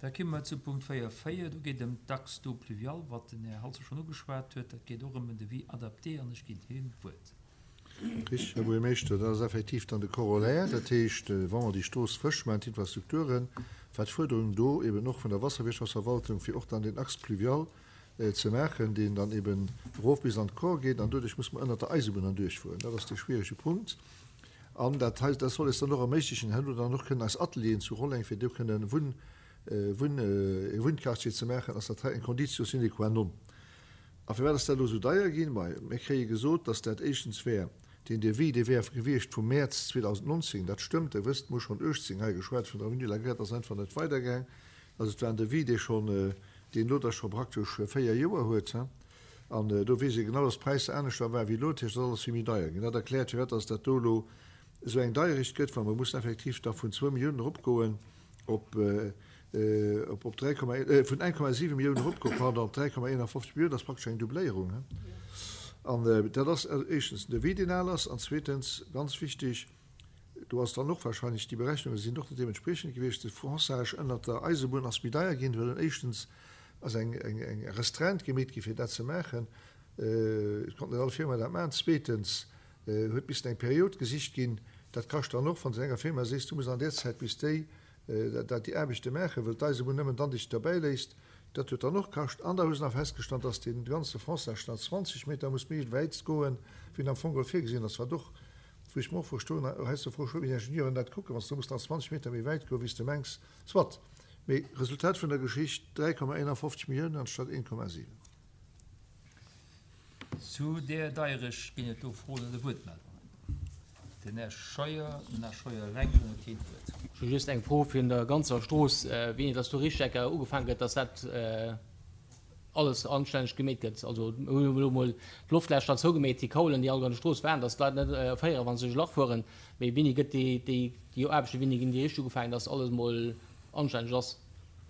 Da komme mer zu Punkt 4, 4. Do geet et ëm d'Axe d'eau pluviale, wat den Här Halse schonn ugeschwat huet. Dat geet och ëm en Devis adapté an ech ginn him d'Wuert. Richtig, Här Buergermeeschter, dat ass effektiv dann de Corollaire. Dat heescht, wa mer déi Strooss frësch maachen, d'Infrastrukturen, war d'Fuerderung do eben och vun der Wasserwirtschaftsverwaltung, fir och dann deen Axe pluvial ze maachen, deen dann eben erof bis an d'Kor geet. An doduerch muss mer ënnert der Eisebunn erduerchfueren. Dat ass dee schwierege Punkt. An dat hei, dat soll eis dann och erméiglechen, herno dann och kënnen eis Atelieren zu Rolleng, fir do kënnen Wunn, Wunn, e Wunnquartier ze maachen, ass dat hei eng Conditio sine qua non. A firwat ass dat elo esou deier ginn? Mei, mir kréie gesot, dass dat éischtens wär deen Devis, dee wär gewiescht vum Mäerz 2019. Dat stëmmt, Der wësst, mir hu schonn 18 hei geschwat vun der Avenue de la Gare, dat ass einfach net weidergaang. Also et war en Devis, dee schonn, deen elo da scho praktesch 4 Joer huet. An do weess ee genau, dass d'Präisser aneschter waren wéi elo. Dat heescht, et ass alles vill méi deier ginn. Dat erkläert, firwat dass dat do elo esou eng Deierecht gëtt, well mer mussen effektiv da vun zwou Milliounen eropgoen op, op, op 3, vun 1,7 Milliounen eropgoen, pardon, op 3,51 Milliounen. Dat ass praktesch eng Doubléierung. An dat ass éischtens den Devis, deen al ass, an zweetens, ganz wichteg, do ass dann och wahrscheinlech, déi Berechnunge sinn och net deementspriechend gewiescht, de Fonçage ënnert der Eisebunn ass méi deier ginn, well en éischtens ass eng Restreinte gemeet gi fir dat ze maachen. Et konnt net all Firma dat maachen. Zweetens huet missen eng Period gesicht ginn. Dat kascht dann och, wann s de enger Firma sees, du muss an där Zäit bis déi dat déi Aarbechte maachen, wëll d'Eisebunn nëmmen dann dech derbäi léisst. Dat huet dann och kascht. An da hu se nach festgestallt, dass dee ganze Fonçage nach 20 Meter muss méi wäit goen, wéi en am Fong geholl virgesinn ass, wat och, wou ech mer och verstoen, heiansdo froe ech mech, wéi d'Ingenieuren dat kucken, wann s du muss nach 20 Meter méi wäit goen, wéi s de mengs. Soit. Mee Resultat vun der Geschicht, 3,51 Milliounen anstatt 1,7. Zu där Deierecht ginn et do Froen oder Wuertmeldungen. Den Här Scheuer, den Här Scheuer eleng, dann huet hien d'Wuert. Ech hu just eng Fro vun der ganzer Strooss, wéini dass do richteg ugefaange gëtt, dass dat alles anstänneg gemeet gëtt. Also mir hunn elo mol d'Loftlächer zougemeet, déi Kaulen, déi all an der Strooss waren, dass d'Leit net erféieren, wa se duerch e Lach fueren. Mee wéini gëtt déi, déi, déi Aarbechten, wéini ginn déi richteg ugefaangen, dass alles mol anstänneg ass?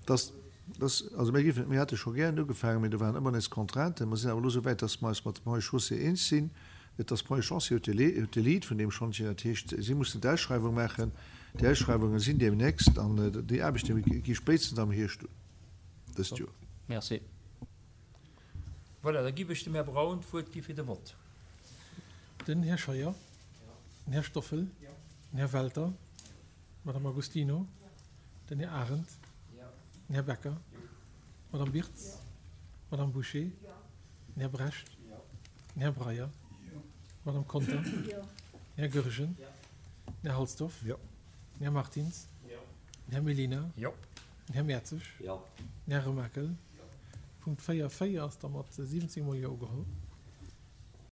Dass, dass, also mir géifen, mir hätte scho gären ugefaangen, mee do waren ëmmer nees Contrainten. Mer sinn awer elo esou wäit, dass mer eis mat dem Ponts et Chaussées eens sinn. Et ass Ponts et Chaussées huet de Lead, huet de Lead vun deem Schantjen. Dat heescht, si mussen d'Ausschreiwung maachen. Déi Ausschreiwunge sinn deemnächst an déi Aarbechte gi spéitstens am Hierscht un dëst Joer. Merci. Voilà, da giff ech dem Här Braun d'Wuert gi fir de Vott. Den Här Scheuer. Den Här Stoffel. Den Här Welter. D'Madame Agostino. Den Här Arendt. Den Här Becker. D'Madame Birtz. D'Madame Bouché. Den Här Brecht. Den Här Breyer. D'Madame Conter. Den Här Goergen. Den Här Halsdorf. Den Här Martins. Den Här Mellina. Den Här Mertzig. Den Här Remakel. Punkt 4, 4 ass da mat 17 mol Jo ugeholl.